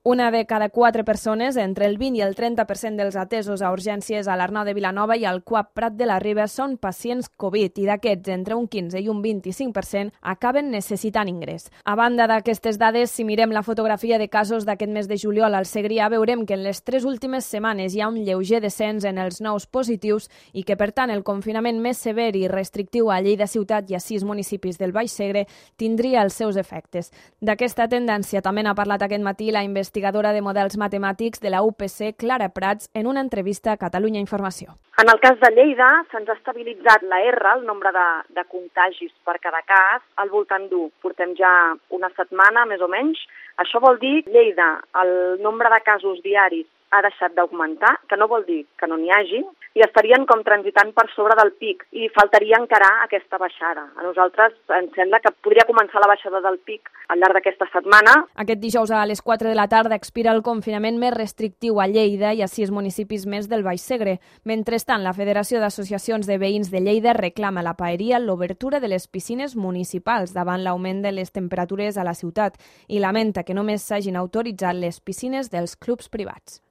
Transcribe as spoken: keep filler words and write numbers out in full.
Una de cada quatre persones, entre el vint i el trenta per cent dels atesos a urgències a l'Arnau de Vilanova i al C U A P Prat de la Riba són pacients Covid i d'aquests, entre un quinze i un vint-i-cinc per cent acaben necessitant ingrés. A banda d'aquestes dades, si mirem la fotografia de casos d'aquest mes de juliol al Segrià, veurem que en les tres últimes setmanes hi ha un lleuger descens en els nous positius i que, per tant, el confinament més sever i restrictiu a Lleida ciutat i a sis municipis del Baix Segre tindria els seus efectes. D'aquesta tendència també n'ha parlat aquest matí la investigació investigadora de models matemàtics de la U P C, Clara Prats, en una entrevista a Catalunya Informació. En el cas de Lleida, se'ns ha estabilitzat la R, el nombre de, de contagis per cada cas, al voltant d'u. Portem ja una setmana, més o menys. Això vol dir, Lleida, el nombre de casos diaris ha deixat d'augmentar, que no vol dir que no n'hi hagi, i estarien com transitant per sobre del pic i faltaria encarar aquesta baixada. A nosaltres ens sembla que podria començar la baixada del pic al llarg d'aquesta setmana. Aquest dijous a les quatre de la tarda expira el confinament més restrictiu a Lleida i a sis municipis més del Baix Segre. Mentrestant, la Federació d'Associacions de Veïns de Lleida reclama a la Paeria l'obertura de les piscines municipals davant l'augment de les temperatures a la ciutat i lamenta que només s'hagin autoritzat les piscines dels clubs privats.